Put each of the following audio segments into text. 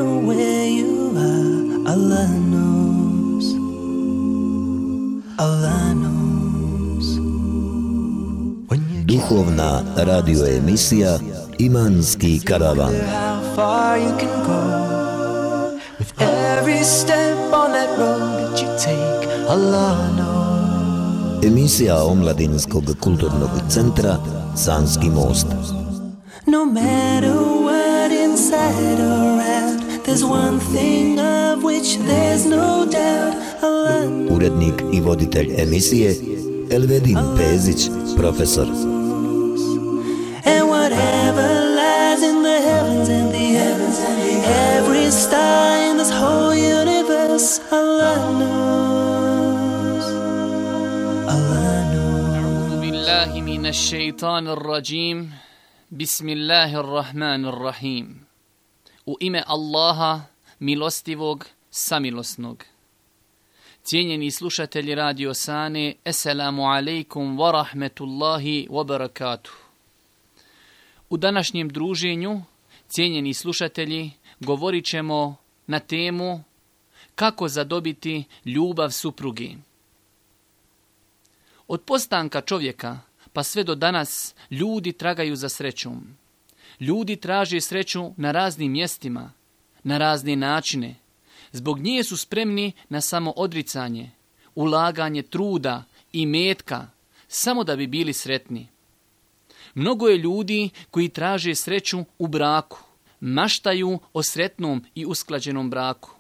matter where you are, Allah knows. Allah knows. Duhovna radio emisija Imanski karavan. How far you can go with every step on that road that you take, Allah knows. Emisija Omladinskog kulturnog centra Sanski most. No matter what inside or out, there's one thing of which there's no doubt, Allah knows. Urednik i voditelj emisije Elvedin Pezić, profesor. And whatever lies in the heavens and the heavens, every star in this whole universe, Allah knows. Allah knows. أعوذ بالله من الشيطان الرجيم. بسم الله الرحمن الرحيم. U ime Allaha, milostivog, samilosnog. Cijenjeni slušatelji Radio Sane, Esselamu alaikum wa rahmetullahi wa barakatuh. U današnjem druženju, cijenjeni slušatelji, govorit ćemo na temu kako zadobiti ljubav supruge. Od postanka čovjeka pa sve do danas ljudi tragaju za srećom. Ljudi traže sreću na raznim mjestima, na razne načine. Zbog nje su spremni na samoodricanje, ulaganje truda i metka, samo da bi bili sretni. Mnogo je ljudi koji traže sreću u braku, maštaju o sretnom i usklađenom braku.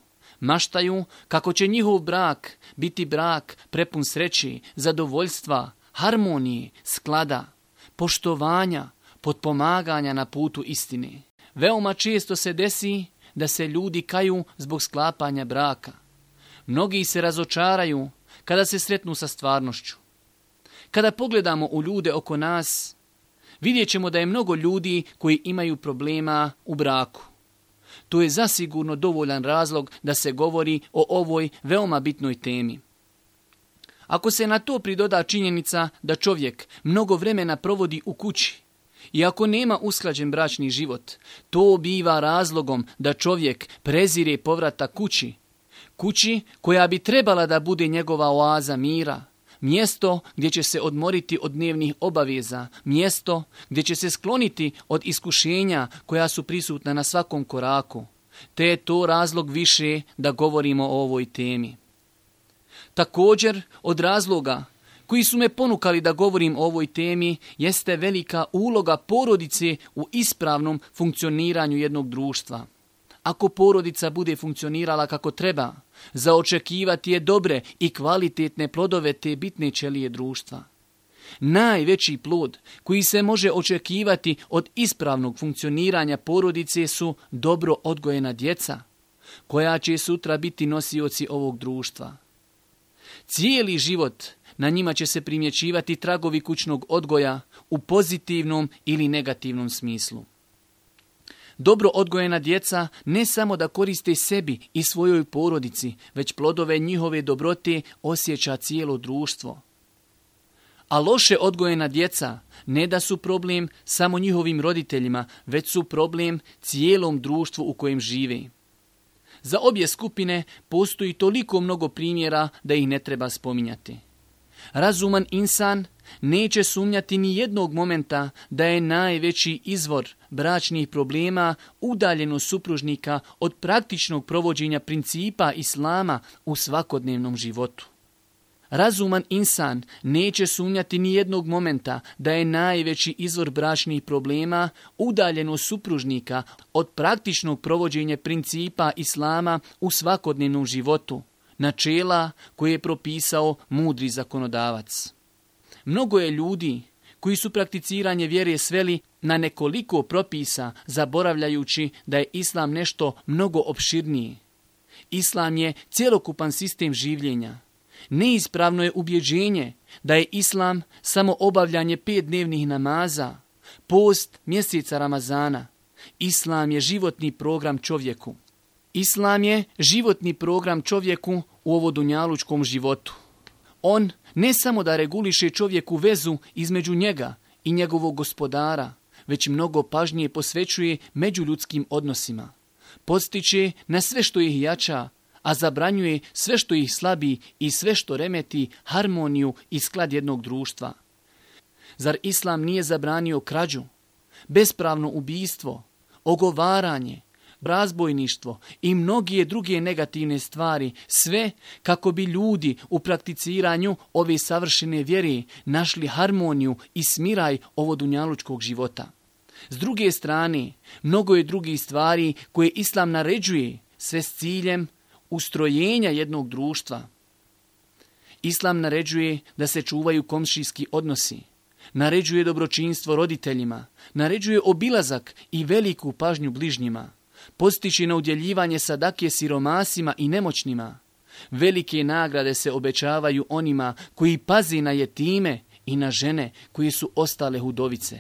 Maštaju kako će njihov brak biti brak prepun sreći, zadovoljstva, harmonije, sklada, poštovanja, potpomaganja na putu istine. Veoma često se desi da se ljudi kaju zbog sklapanja braka. Mnogi se razočaraju kada se sretnu sa stvarnošću. Kada pogledamo u ljude oko nas, vidjet ćemo da je mnogo ljudi koji imaju problema u braku. To je zasigurno dovoljan razlog da se govori o ovoj veoma bitnoj temi. Ako se na to pridoda činjenica da čovjek mnogo vremena provodi u kući, i ako nema usklađen bračni život, to biva razlogom da čovjek prezire povratak kući. Kući koja bi trebala da bude njegova oaza mira, mjesto gdje će se odmoriti od dnevnih obaveza, mjesto gdje će se skloniti od iskušenja koja su prisutna na svakom koraku. Te je to razlog više da govorimo o ovoj temi. Također, od razloga koji su me ponukali da govorim o ovoj temi jeste velika uloga porodice u ispravnom funkcioniranju jednog društva. Ako porodica bude funkcionirala kako treba, za očekivati je dobre i kvalitetne plodove te bitne ćelije društva. Najveći plod koji se može očekivati od ispravnog funkcioniranja porodice su dobro odgojena djeca, koja će sutra biti nosioci ovog društva. Cijeli život na njima će se primjećivati tragovi kućnog odgoja u pozitivnom ili negativnom smislu. Dobro odgojena djeca ne samo da koriste sebi i svojoj porodici, već plodove njihove dobrote osjeća cijelo društvo. A loše odgojena djeca ne da su problem samo njihovim roditeljima, već su problem cijelom društvu u kojem žive. Za obje skupine postoji toliko mnogo primjera da ih ne treba spominjati. Razuman insan neće sumnjati ni jednog momenta da je najveći izvor bračnih problema udaljenost supružnika od praktičnog provođenja principa islama u svakodnevnom životu. Razuman insan neće sumnjati ni jednog momenta da je najveći izvor bračnih problema udaljenost supružnika od praktičnog provođenja principa islama u svakodnevnom životu, načela koje je propisao mudri zakonodavac. Mnogo je ljudi koji su prakticiranje vjere sveli na nekoliko propisa, zaboravljajući da je islam nešto mnogo opširnije. Islam je cjelokupan sistem življenja. Neispravno je ubjeđenje da je islam samo obavljanje 5 dnevnih namaza, post mjeseca Ramazana. Islam je životni program čovjeku. Islam je životni program čovjeku u ovodunjalučkom životu. On ne samo da reguliše čovjeku vezu između njega i njegovog gospodara, već mnogo pažnje posvećuje međuljudskim odnosima. Podstiče na sve što ih jača, a zabranjuje sve što ih slabi i sve što remeti harmoniju i sklad jednog društva. Zar Islam nije zabranio krađu, bespravno ubijstvo, ogovaranje, razbojništvo i mnoge druge negativne stvari, sve kako bi ljudi u prakticiranju ove savršene vjere našli harmoniju i smiraj ovodunjalučkog života. S druge strane, mnogo je drugih stvari koje Islam naređuje, sve s ciljem ustrojenja jednog društva. Islam naređuje da se čuvaju komšijski odnosi, naređuje dobročinstvo roditeljima, naređuje obilazak i veliku pažnju bližnjima, postiče na udjeljivanje sadake siromasima i nemoćnima. Velike nagrade se obećavaju onima koji pazi na jetime i na žene koje su ostale hudovice.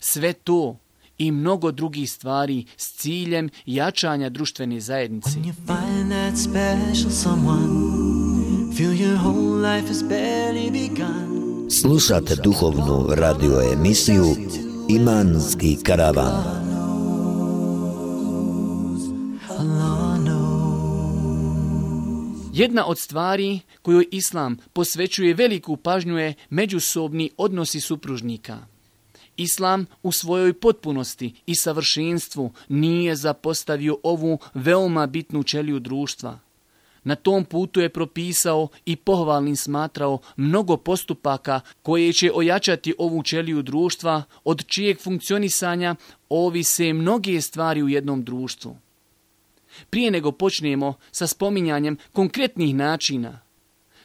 Sve to i mnogo drugih stvari s ciljem jačanja društvene zajednice. When you find that special someone, feel your whole life has barely begun. Slušate duhovnu radio emisiju Imanski karavan. Jedna od stvari kojoj Islam posvećuje veliku pažnju je međusobni odnosi supružnika. Islam u svojoj potpunosti i savršenstvu nije zapostavio ovu veoma bitnu ćeliju društva. Na tom putu je propisao i pohvalnim smatrao mnogo postupaka koje će ojačati ovu ćeliju društva, od čijeg funkcionisanja ovise mnoge stvari u jednom društvu. Prije nego počnemo sa spominjanjem konkretnih načina,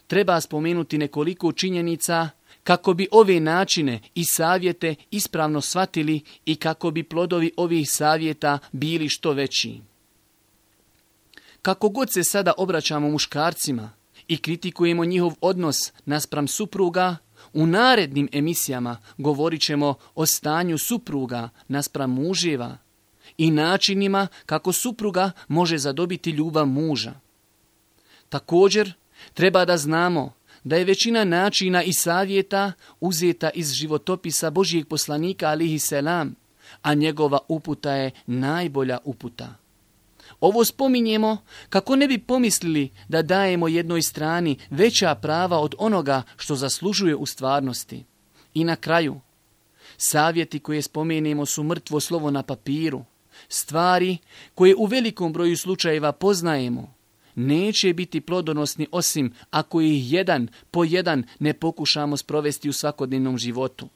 treba spomenuti nekoliko činjenica kako bi ove načine i savjete ispravno shvatili i kako bi plodovi ovih savjeta bili što veći. Kako god se sada obraćamo muškarcima i kritikujemo njihov odnos naspram supruga, u narednim emisijama govorit ćemo o stanju supruga naspram muževa i načinima kako supruga može zadobiti ljubav muža. Također, treba da znamo da je većina načina i savjeta uzeta iz životopisa Božijeg poslanika alihi selam, a njegova uputa je najbolja uputa. Ovo spominjemo kako ne bi pomislili da dajemo jednoj strani veća prava od onoga što zaslužuje u stvarnosti. I na kraju, savjeti koje spomenemo su mrtvo slovo na papiru. Stvari koje u velikom broju slučajeva poznajemo neće biti plodonosni osim ako ih jedan po jedan ne pokušamo sprovesti u svakodnevnom životu.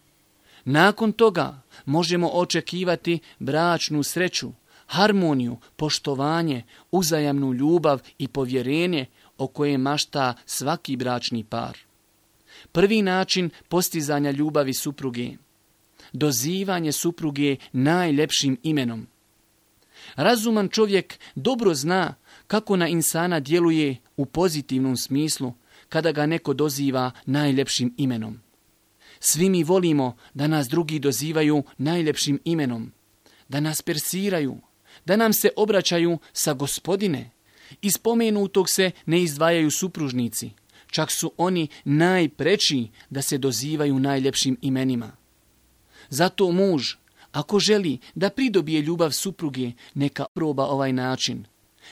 Nakon toga možemo očekivati bračnu sreću, harmoniju, poštovanje, uzajamnu ljubav i povjerenje o kojem mašta svaki bračni par. Prvi način postizanja ljubavi supruge. Dozivanje supruge najljepšim imenom. Razuman čovjek dobro zna kako na insana djeluje u pozitivnom smislu kada ga neko doziva najljepšim imenom. Svi mi volimo da nas drugi dozivaju najljepšim imenom, da nas persiraju, da nam se obraćaju sa gospodine. Iz spomenutog se ne izdvajaju supružnici, čak su oni najpreči da se dozivaju najljepšim imenima. Zato muž, ako želi da pridobije ljubav supruge, neka proba ovaj način.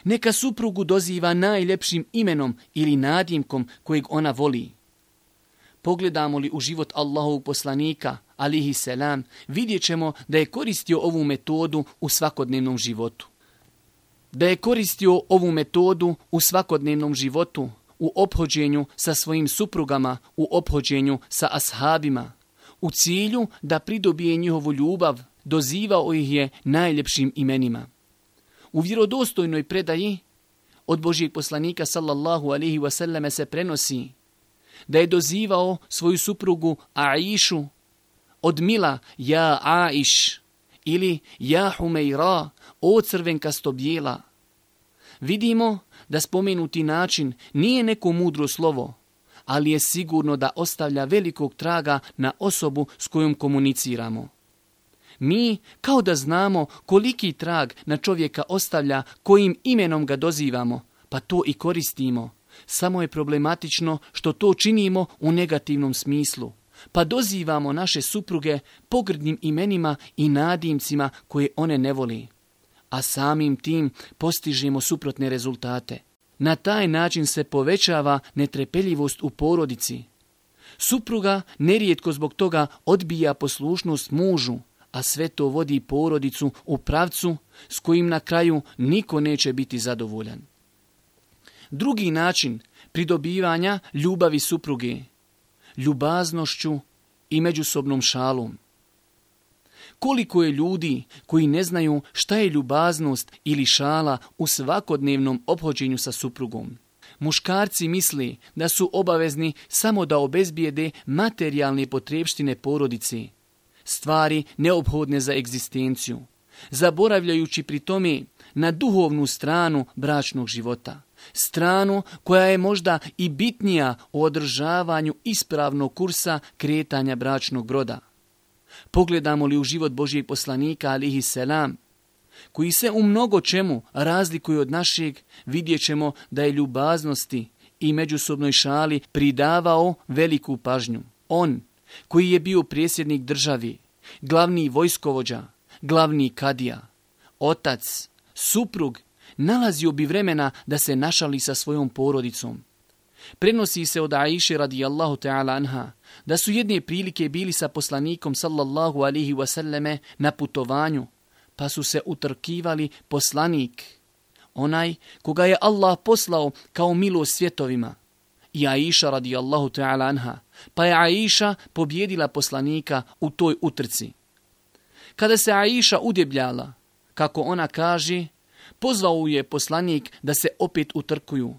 Neka suprugu doziva najljepšim imenom ili nadimkom kojeg ona voli. Pogledamo li u život Allahovog poslanika, alihi selam, vidjet ćemo da je koristio ovu metodu u svakodnevnom životu. Da je koristio ovu metodu u svakodnevnom životu, u ophođenju sa svojim suprugama, u ophođenju sa ashabima. U cilju da pridobije njihovu ljubav, dozivao ih je najljepšim imenima. U vjerodostojnoj predaji od Božijeg poslanika sallallahu alejhi ve selleme se prenosi da je dozivao svoju suprugu Aišu od mila ja Aiš ili ja Humeira, o crvenkasto bijela. Vidimo da spomenuti način nije neko mudro slovo, ali je sigurno da ostavlja velikog traga na osobu s kojom komuniciramo. Mi kao da znamo koliki trag na čovjeka ostavlja kojim imenom ga dozivamo, pa to i koristimo. Samo je problematično što to činimo u negativnom smislu, pa dozivamo naše supruge pogrdnim imenima i nadimcima koje one ne voli. a samim tim postižemo suprotne rezultate. Na taj način se povećava netrpeljivost u porodici. Supruga nerijetko zbog toga odbija poslušnost mužu, a sve to vodi porodicu u pravcu s kojim na kraju niko neće biti zadovoljan. Drugi način pridobivanja ljubavi supruge, ljubaznošću i međusobnom šalom. Koliko je ljudi koji ne znaju šta je ljubaznost ili šala u svakodnevnom ophođenju sa suprugom. Muškarci misle da su obavezni samo da obezbijede materijalne potrepštine porodici, stvari neophodne za egzistenciju, zaboravljajući pri tome na duhovnu stranu bračnog života, stranu koja je možda i bitnija u održavanju ispravnog kursa kretanja bračnog broda. Pogledamo li u život Božijeg poslanika, alihi selam, koji se u mnogo čemu razlikuje od našeg, vidjet ćemo da je ljubaznosti i međusobnoj šali pridavao veliku pažnju. On, koji je bio predsjednik državi, glavni vojskovođa, glavni kadija, otac, suprug, nalazio bi vremena da se našali sa svojom porodicom. Prenosi se od Aiše radijallahu ta'ala anha da su jedne prilike bili sa poslanikom sallallahu alihi wasallame na putovanju, pa su se utrkivali poslanik, onaj koga je Allah poslao kao milost svjetovima, i Aiša radijallahu ta'ala anha, pa je Aiša pobjedila poslanika u toj utrci. Kada se Aiša udebljala, kako ona kaže, pozvao je poslanik da se opet utrkuju,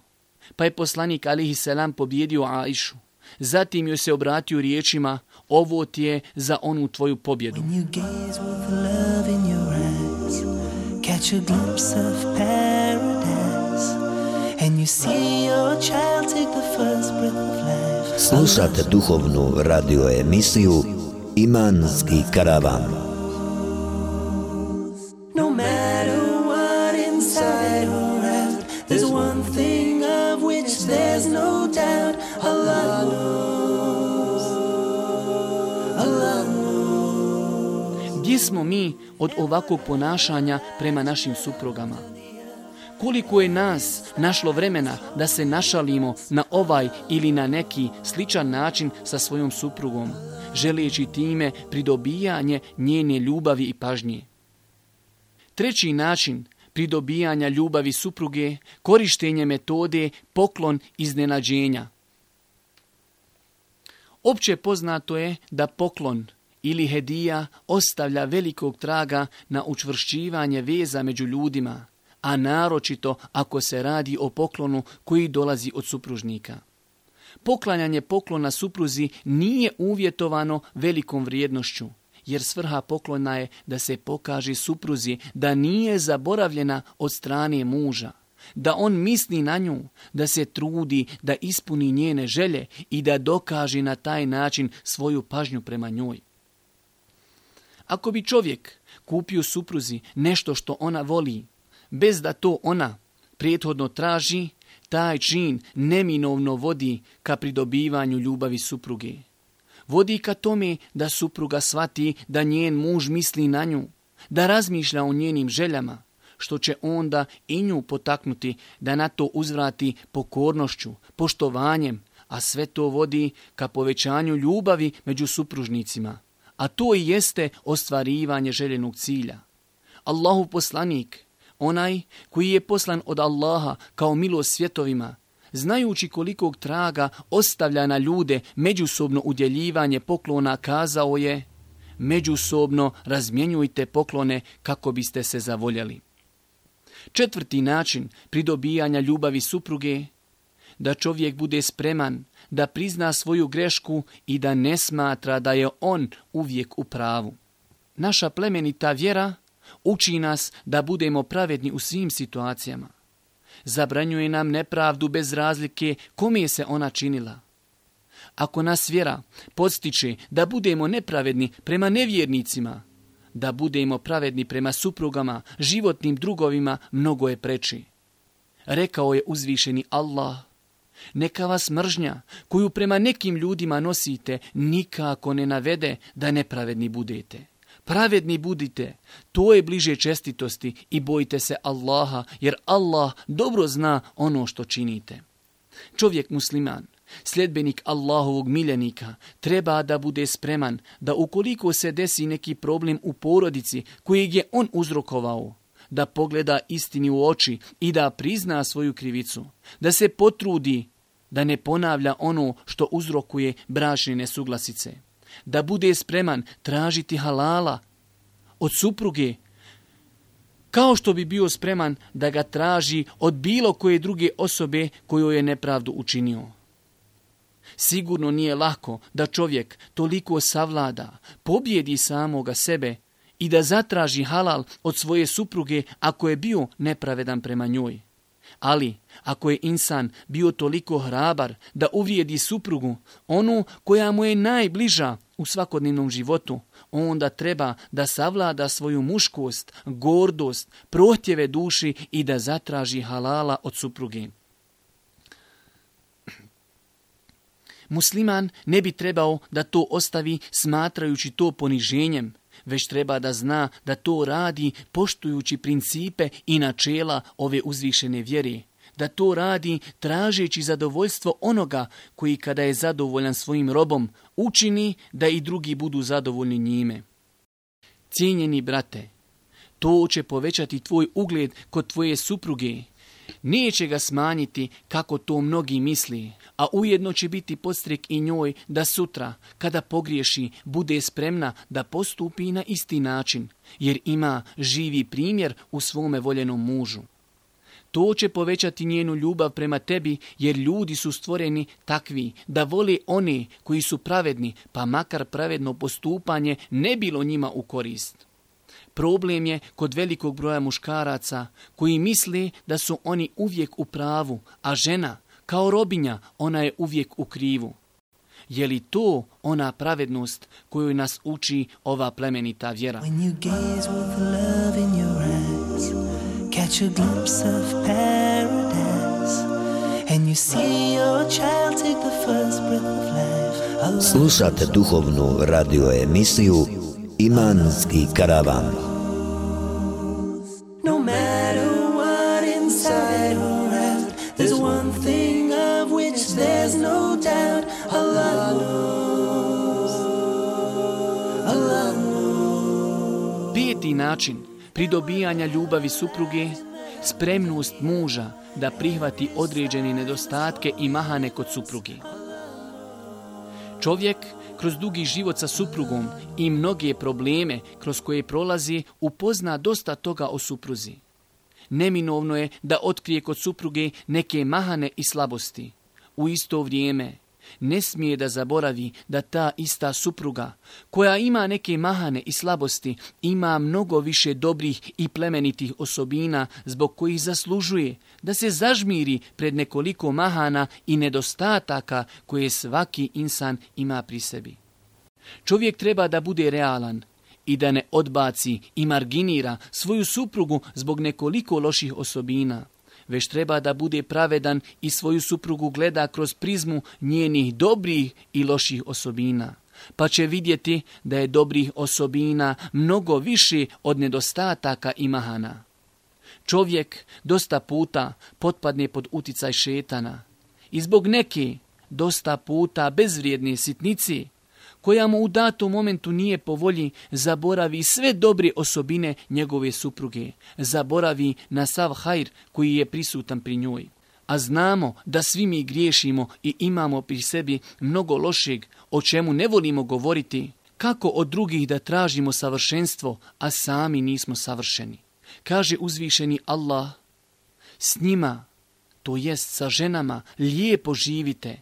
pa je poslanik alihi selam pobjedio Aišu. Zatim joj se obratio riječima: ovo ti je za onu tvoju pobjedu. Catch a glimpse of paradise and you see your child take the first breath of life. Slušate duhovnu radio emisiju Imanski karavan. No matter what inside or out, there's one thing of which there's no doubt. Allah knows. Allah knows. Gdje smo mi od ovakvog ponašanja prema našim suprugama? Koliko je nas našlo vremena da se našalimo na ovaj ili na neki sličan način sa svojom suprugom, želeći time pridobijanje njene ljubavi i pažnje? Treći način pridobijanja ljubavi supruge, korištenje metode poklon iznenađenja. Opće poznato je da poklon ili hedija ostavlja velikog traga na učvršćivanje veza među ljudima, a naročito ako se radi o poklonu koji dolazi od supružnika. Poklanjanje poklona supruzi nije uvjetovano velikom vrijednošću, jer svrha poklona je da se pokaže supruzi da nije zaboravljena od strane muža, da on misli na nju, da se trudi da ispuni njene želje i da dokaže na taj način svoju pažnju prema njoj. Ako bi čovjek kupio supruzi nešto što ona voli, bez da to ona prethodno traži, taj čin neminovno vodi ka pridobivanju ljubavi supruge. Vodi ka tome da supruga shvati da njen muž misli na nju, da razmišlja o njenim željama, što će onda i nju potaknuti da na to uzvrati pokornošću, poštovanjem, a sve to vodi ka povećanju ljubavi među supružnicima. A to i jeste ostvarivanje željenog cilja. Allahov poslanik, onaj koji je poslan od Allaha kao milost svjetovima, znajući kolikog traga ostavlja na ljude međusobno udjeljivanje poklona, kazao je: međusobno razmjenjujte poklone kako biste se zavoljeli. Četvrti način pridobijanja ljubavi supruge, da čovjek bude spreman da prizna svoju grešku i da ne smatra da je on uvijek u pravu. Naša plemenita vjera uči nas da budemo pravedni u svim situacijama. Zabranjuje nam nepravdu bez razlike kome se ona činila. Ako nas vjera podstiče da budemo nepravedni prema nevjernicima, da budemo pravedni prema suprugama, životnim drugovima, mnogo je preči. Rekao je uzvišeni Allah: neka vas mržnja koju prema nekim ljudima nosite nikako ne navede da nepravedni budete. Pravedni budite, to je bliže čestitosti i bojite se Allaha, jer Allah dobro zna ono što činite. Čovjek musliman, sljedbenik Allahovog miljenika, treba da bude spreman da ukoliko se desi neki problem u porodici kojeg je on uzrokovao, da pogleda istini u oči i da prizna svoju krivicu, da se potrudi da ne ponavlja ono što uzrokuje bračne nesuglasice, da bude spreman tražiti halala od supruge, kao što bi bio spreman da ga traži od bilo koje druge osobe kojoj je nepravdu učinio. Sigurno nije lako da čovjek toliko savlada, pobjedi samoga sebe i da zatraži halal od svoje supruge ako je bio nepravedan prema njoj. Ali ako je insan bio toliko hrabar da uvrijedi suprugu, onu koja mu je najbliža u svakodnevnom životu, onda treba da savlada svoju muškost, gordost, prohtjeve duši i da zatraži halala od supruge. Musliman ne bi trebao da to ostavi smatrajući to poniženjem, već treba da zna da to radi poštujući principe i načela ove uzvišene vjere, da to radi tražeći zadovoljstvo onoga koji kada je zadovoljan svojim robom učini da i drugi budu zadovoljni njime. Cijenjeni brate, to će povećati tvoj ugled kod tvoje supruge, neće ga smanjiti kako to mnogi misli, a ujedno će biti podstrek i njoj da sutra, kada pogriješi, bude spremna da postupi na isti način, jer ima živi primjer u svome voljenom mužu. To će povećati njenu ljubav prema tebi, jer ljudi su stvoreni takvi da vole one koji su pravedni, pa makar pravedno postupanje ne bilo njima u korist. Problem je kod velikog broja muškaraca koji misle da su oni uvijek u pravu, a žena, kao robinja, ona je uvijek u krivu. Je li to ona pravednost koju nas uči ova plemenita vjera? When you gaze with love in your eyes, catch a glimpse of paradise, and you see your child take the first breath of life. Slušate duhovnu radio emisiju Imanski karavan. No matter what inside or out, there's one thing of which there's no doubt. Allah knows. Allah knows. 5. način pridobijanja ljubavi supruge, spremnost muža da prihvati određene nedostatke i mahane kod supruge. Čovjek kroz dugi život sa suprugom i mnoge probleme kroz koje prolazi upozna dosta toga o supruzi. Neminovno je da otkrije kod supruge neke mahane i slabosti. U isto vrijeme ne smije da zaboravi da ta ista supruga koja ima neke mahane i slabosti ima mnogo više dobrih i plemenitih osobina zbog kojih zaslužuje da se zažmiri pred nekoliko mahana i nedostataka koje svaki insan ima pri sebi. Čovjek treba da bude realan i da ne odbaci i marginira svoju suprugu zbog nekoliko loših osobina, već treba da bude pravedan i svoju suprugu gleda kroz prizmu njenih dobrih i loših osobina, pa će vidjeti da je dobrih osobina mnogo više od nedostataka i mahana. Čovjek dosta puta potpadne pod uticaj šetana i zbog neke dosta puta bezvrijedne sitnici koja mu u datom momentu nije po volji, zaboravi sve dobre osobine njegove supruge, zaboravi na sav hajr koji je prisutan pri njoj. A znamo da svi mi griješimo i imamo pri sebi mnogo lošeg, o čemu ne volimo govoriti, kako od drugih da tražimo savršenstvo, a sami nismo savršeni. Kaže uzvišeni Allah, s njima, to jest sa ženama, lijepo živite.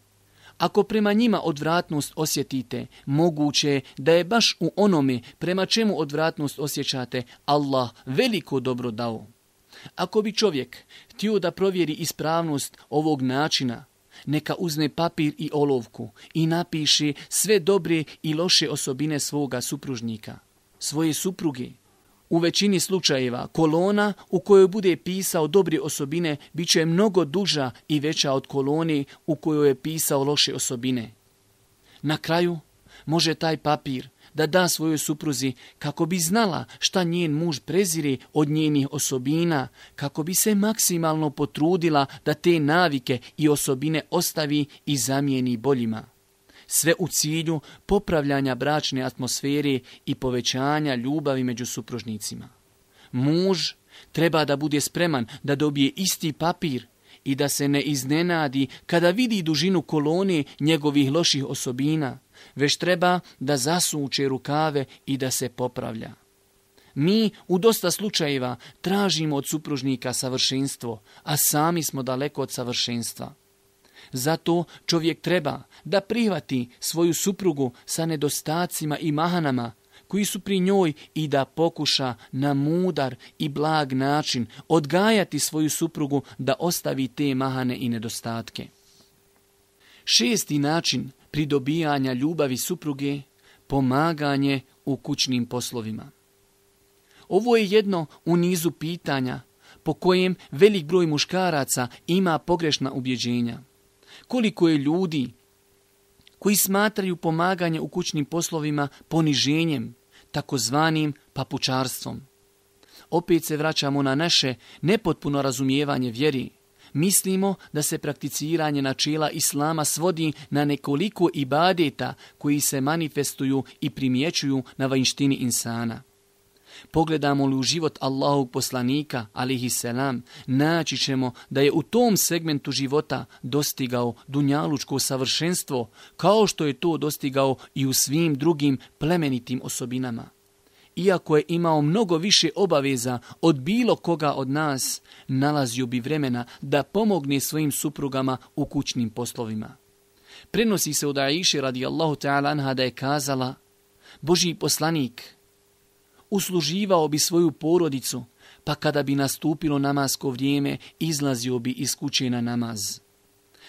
Ako prema njima odvratnost osjetite, moguće je da je baš u onome prema čemu odvratnost osjećate Allah veliko dobro dao. Ako bi čovjek htio da provjeri ispravnost ovog načina, neka uzme papir i olovku i napiše sve dobre i loše osobine svoga supružnika, svoje supruge. U većini slučajeva kolona u kojoj bude pisao dobre osobine bit će mnogo duža i veća od kolone u kojoj je pisao loše osobine. Na kraju može taj papir da da svojoj supruzi kako bi znala šta njen muž prezire od njenih osobina, kako bi se maksimalno potrudila da te navike i osobine ostavi i zamijeni boljima. Sve u cilju popravljanja bračne atmosfere i povećanja ljubavi među supružnicima. Muž treba da bude spreman da dobije isti papir i da se ne iznenadi kada vidi dužinu kolone njegovih loših osobina, već treba da zasuče rukave i da se popravlja. Mi u dosta slučajeva tražimo od supružnika savršenstvo, a sami smo daleko od savršenstva. Zato čovjek treba da prihvati svoju suprugu sa nedostacima i mahanama koji su pri njoj i da pokuša na mudar i blag način odgajati svoju suprugu da ostavi te mahane i nedostatke. 6. način pridobijanja ljubavi supruge, pomaganje u kućnim poslovima. Ovo je jedno u nizu pitanja po kojem velik broj muškaraca ima pogrešna ubjeđenja. Koliko je ljudi koji smatraju pomaganje u kućnim poslovima poniženjem, takozvanim papučarstvom. Opet se vraćamo na naše nepotpuno razumijevanje vjeri. Mislimo da se prakticiranje načela Islama svodi na nekoliko ibadeta koji se manifestuju i primjećuju na vanjštini insana. Pogledamo li u život Allahovog poslanika, alejhi selam, naći ćemo da je u tom segmentu života dostigao dunjalučko savršenstvo, kao što je to dostigao i u svim drugim plemenitim osobinama. Iako je imao mnogo više obaveza od bilo koga od nas, nalazio bi vremena da pomogne svojim suprugama u kućnim poslovima. Prenosi se od Aiše radijallahu ta'ala anha da je kazala: Božji poslanik usluživao bi svoju porodicu, pa kada bi nastupilo namasko vrijeme, izlazio bi iz kuće na namaz.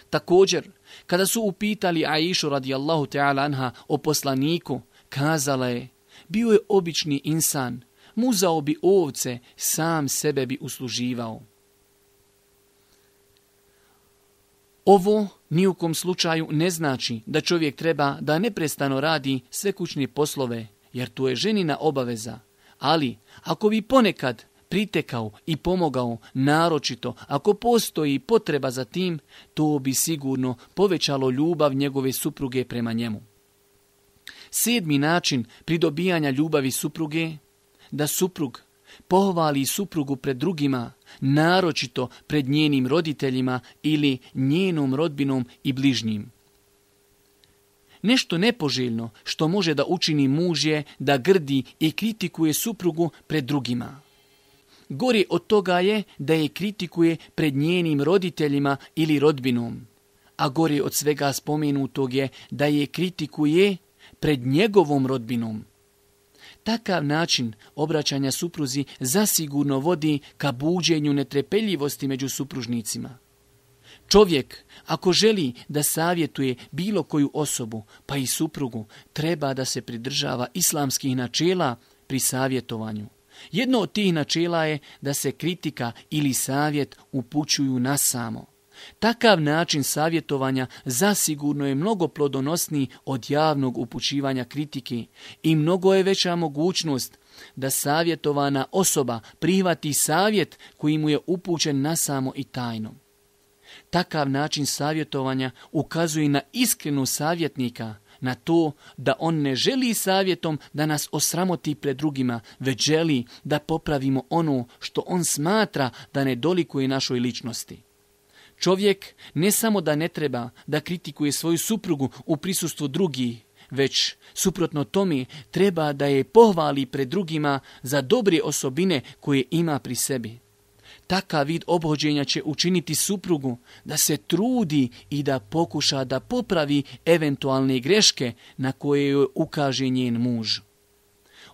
Također, kada su upitali Aišu radijallahu ta'ala anha o poslaniku, kazala je: bio je obični insan, muzao bi ovce, sam sebe bi usluživao. Ovo ni u kom slučaju ne znači da čovjek treba da neprestano radi sve kućne poslove, jer to je ženina obaveza. Ali, ako bi ponekad pritekao i pomogao, naročito ako postoji potreba za tim, to bi sigurno povećalo ljubav njegove supruge prema njemu. 7. način pridobijanja ljubavi supruge, da suprug pohvali suprugu pred drugima, naročito pred njenim roditeljima ili njenom rodbinom i bližnjim. Nešto nepoželjno što može da učini muž je da grdi i kritikuje suprugu pred drugima. Gore od toga je da je kritikuje pred njenim roditeljima ili rodbinom, a gore od svega spomenutog je da je kritikuje pred njegovom rodbinom. Takav način obraćanja supruzi zasigurno vodi ka buđenju netrpeljivosti među supružnicima. Čovjek, ako želi da savjetuje bilo koju osobu, pa i suprugu, treba da se pridržava islamskih načela pri savjetovanju. Jedno od tih načela je da se kritika ili savjet upućuju na samo. Takav način savjetovanja zasigurno je mnogo plodonosniji od javnog upućivanja kritike i mnogo je veća mogućnost da savjetovana osoba prihvati savjet koji mu je upućen nasamo i tajno. Takav način savjetovanja ukazuje na iskrenu savjetnika, na to da on ne želi savjetom da nas osramoti pred drugima, već želi da popravimo ono što on smatra da ne dolikuje našoj ličnosti. Čovjek ne samo da ne treba da kritikuje svoju suprugu u prisustvu drugih, već suprotno tome treba da je pohvali pred drugima za dobre osobine koje ima pri sebi. Takav vid ophođenja će učiniti suprugu da se trudi i da pokuša da popravi eventualne greške na koje joj ukaže njen muž.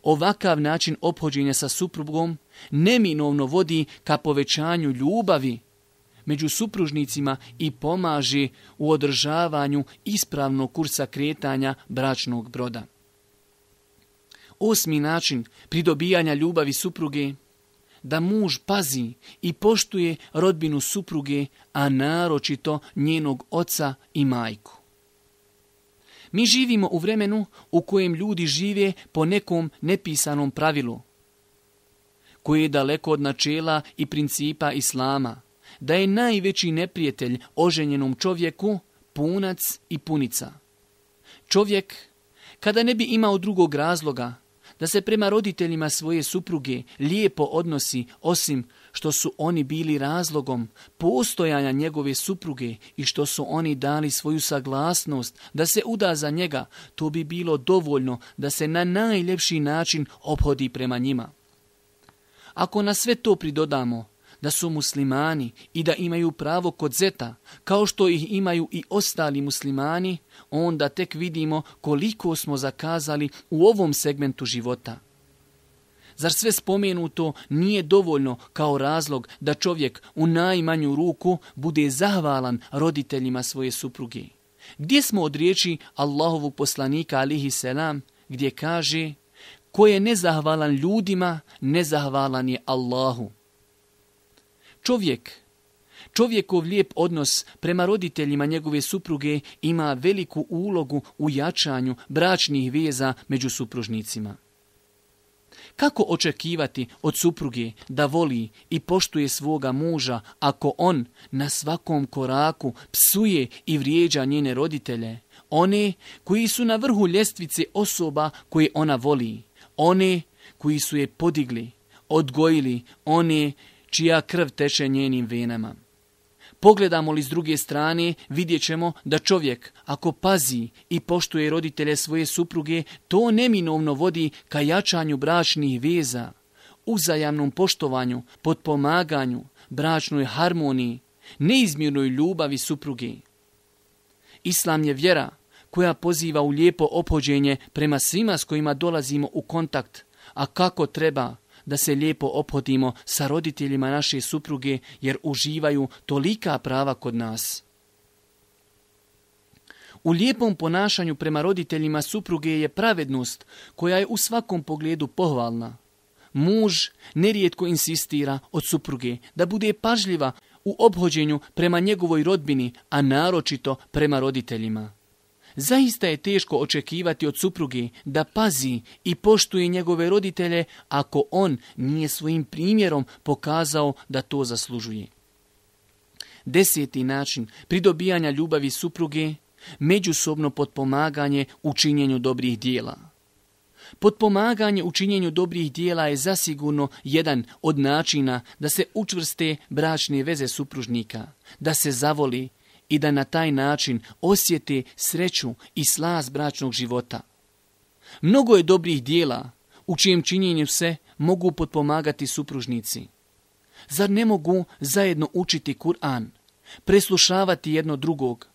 Ovakav način ophođenja sa suprugom neminovno vodi ka povećanju ljubavi među supružnicima i pomaže u održavanju ispravnog kursa kretanja bračnog broda. 8. način pridobijanja ljubavi supruge, da muž pazi i poštuje rodbinu supruge, a naročito njenog oca i majku. Mi živimo u vremenu u kojem ljudi žive po nekom nepisanom pravilu, koje je daleko od načela i principa islama, da je najveći neprijatelj oženjenom čovjeku punac i punica. Čovjek, kada ne bi imao drugog razloga da se prema roditeljima svoje supruge lijepo odnosi, osim što su oni bili razlogom postojanja njegove supruge i što su oni dali svoju saglasnost da se uda za njega, to bi bilo dovoljno da se na najljepši način ophodi prema njima. Ako na sve to pridodamo da su muslimani i da imaju pravo kod zeta, kao što ih imaju i ostali muslimani, onda tek vidimo koliko smo zakazali u ovom segmentu života. Zar sve spomenuto nije dovoljno kao razlog da čovjek u najmanju ruku bude zahvalan roditeljima svoje supruge? Gdje smo od riječi Allahovog poslanika alihi selam, gdje kaže: ko je nezahvalan ljudima, nezahvalan je Allahu. Čovjekov lijep odnos prema roditeljima njegove supruge ima veliku ulogu u jačanju bračnih veza među supružnicima. Kako očekivati od supruge da voli i poštuje svoga muža ako on na svakom koraku psuje i vrijeđa njene roditelje, one koji su na vrhu ljestvice osoba koje ona voli, one koji su je podigli, odgojili, one čija krv teče njenim venama? Pogledamo li s druge strane, vidjet ćemo da čovjek, ako pazi i poštuje roditelje svoje supruge, to neminovno vodi ka jačanju bračnih veza, uzajamnom poštovanju, potpomaganju, bračnoj harmoniji, neizmjernoj ljubavi supruge. Islam je vjera koja poziva u lijepo ophođenje prema svima s kojima dolazimo u kontakt, a kako treba da se lijepo ophodimo sa roditeljima naše supruge, jer uživaju tolika prava kod nas. U lijepom ponašanju prema roditeljima supruge je pravednost koja je u svakom pogledu pohvalna. Muž nerijetko insistira od supruge da bude pažljiva u ophođenju prema njegovoj rodbini, a naročito prema roditeljima. Zaista je teško očekivati od supruge da pazi i poštuje njegove roditelje ako on nije svojim primjerom pokazao da to zaslužuje. 10. način pridobijanja ljubavi supruge, međusobno potpomaganje u činjenju dobrih dijela. Potpomaganje u činjenju dobrih dijela je zasigurno jedan od načina da se učvrste bračne veze supružnika, da se zavoli i da na taj način osjete sreću i slast bračnog života. Mnogo je dobrih dijela u čijem činjenju se mogu potpomagati supružnici. Zar ne mogu zajedno učiti Kur'an, preslušavati jedno drugog,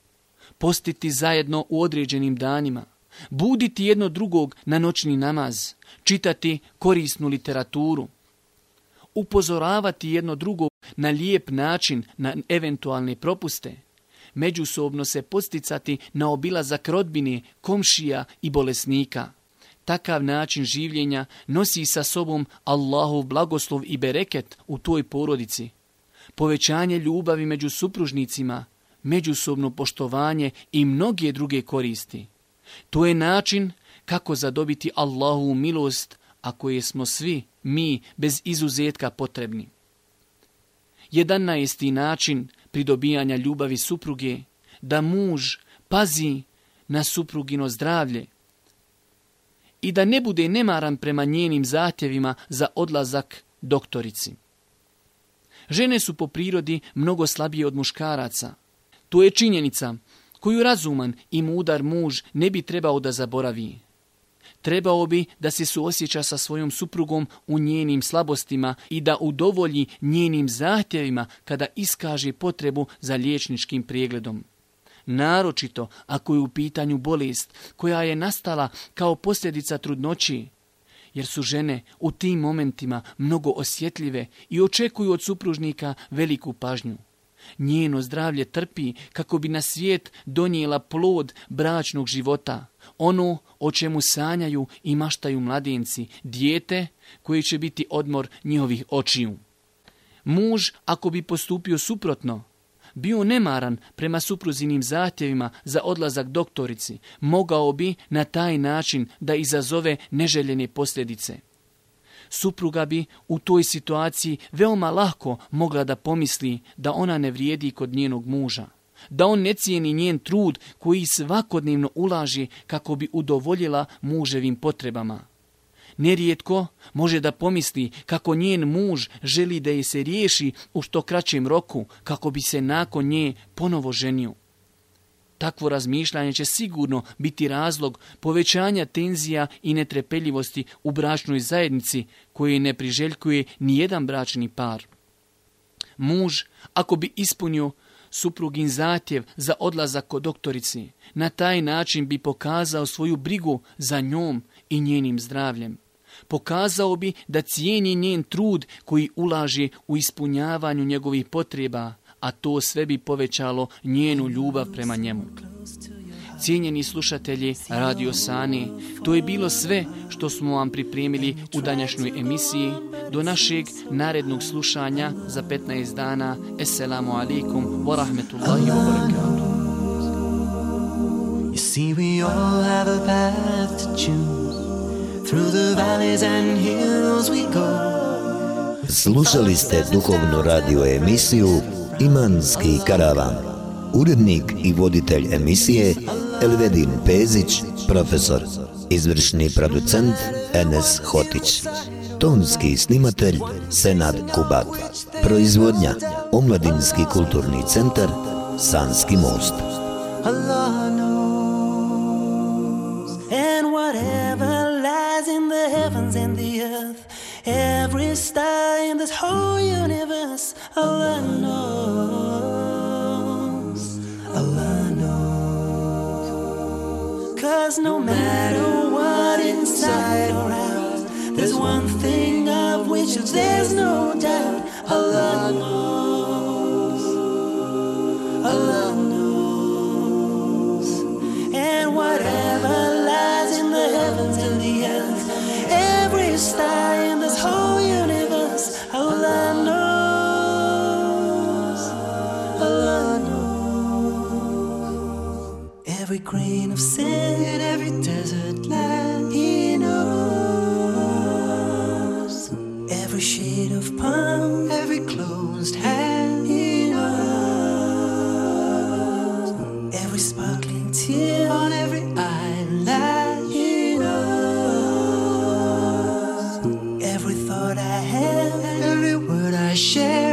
postiti zajedno u određenim danima, buditi jedno drugog na noćni namaz, čitati korisnu literaturu, upozoravati jedno drugog na lijep način na eventualne propuste, međusobno se posticati na obilazak rodbine, komšija i bolesnika. Takav način življenja nosi sa sobom Allahov blagoslov i bereket u toj porodici, povećanje ljubavi među supružnicima, međusobno poštovanje i mnoge druge koristi. To je način kako zadobiti Allahovu milost, a koje smo svi mi bez izuzetka potrebni. 11. način pridobijanja ljubavi supruge, da muž pazi na suprugino zdravlje i da ne bude nemaran prema njenim zahtjevima za odlazak doktorici. Žene su po prirodi mnogo slabije od muškaraca. To je činjenica koju razuman i mudar muž ne bi trebao da zaboravi. Trebao bi da se suosjeća sa svojom suprugom u njenim slabostima i da udovolji njenim zahtjevima kada iskaže potrebu za liječničkim pregledom. Naročito ako je u pitanju bolest koja je nastala kao posljedica trudnoći, jer su žene u tim momentima mnogo osjetljive i očekuju od supružnika veliku pažnju. Njeno zdravlje trpi kako bi na svijet donijela plod bračnog života, ono o čemu sanjaju i maštaju mladenci, dijete koje će biti odmor njihovih očiju. Muž, ako bi postupio suprotno, bio nemaran prema supruzinim zahtjevima za odlazak doktorici, mogao bi na taj način da izazove neželjene posljedice. Supruga bi u toj situaciji veoma lako mogla da pomisli da ona ne vrijedi kod njenog muža, da on ne cijeni njen trud koji svakodnevno ulaže kako bi udovoljila muževim potrebama. Nerijetko može da pomisli kako njen muž želi da je se riješi u što kraćem roku kako bi se nakon nje ponovo ženio. Takvo razmišljanje će sigurno biti razlog povećanja tenzija i netrpeljivosti u bračnoj zajednici koje ne priželjkuje nijedan bračni par. Muž, ako bi ispunio suprugin zahtjev za odlazak kod doktorici, na taj način bi pokazao svoju brigu za njom i njenim zdravljem. Pokazao bi da cijeni njen trud koji ulaže u ispunjavanju njegovih potreba, a to sve bi povećalo njenu ljubav prema njemu. Cijenjeni slušatelji Radio Sani, to je bilo sve što smo vam pripremili u današnjoj emisiji. Do našeg narednog slušanja za 15 dana. Esselamu alaikum wa rahmetullahi wa barakatuh. You see, we all have a path to choose. Through the valleys and hills we go. Slušali ste duhovnu radio emisiju Imanski karavan. Urednik i voditelj emisije Elvedin Pezić, profesor. Izvršni producent Enes Hotić. Tonski snimatelj Senad Kubat. Proizvodnja Omladinski kulturni centar Sanski most. Allah knows. And whatever lies in the heavens and the earth, every star in this whole universe, Allah knows. Allah knows. 'Cause no matter what inside or out, there's one thing of which there's no doubt. Allah knows. Allah knows. And whatever lies in the heavens and the earth, every star in this whole universe, Allah knows. Allah knows. Every grain of sand in every desert land, He knows. Every shade of palm, every closed hand, He knows. Every sparkling tear on every eyelid, He knows. Every thought I have, every word I share,